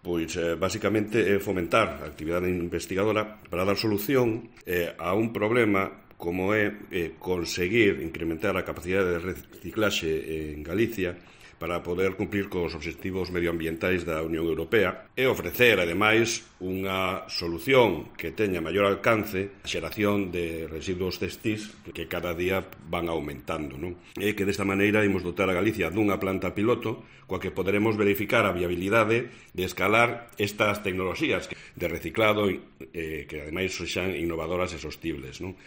Pois, basicamente, é fomentar a actividade investigadora para dar solución a un problema como é conseguir incrementar a capacidade de reciclaxe en Galicia para poder cumplir cos obxectivos medioambientais da Unión Europea e ofrecer, ademais, unha solución que teña maior alcance a xeración de residuos textís que cada día van aumentando, non? E que desta maneira imos dotar a Galicia dunha planta piloto coa que poderemos verificar a viabilidade de escalar estas tecnoloxías de reciclado que ademais sexan innovadoras e sostibles, non?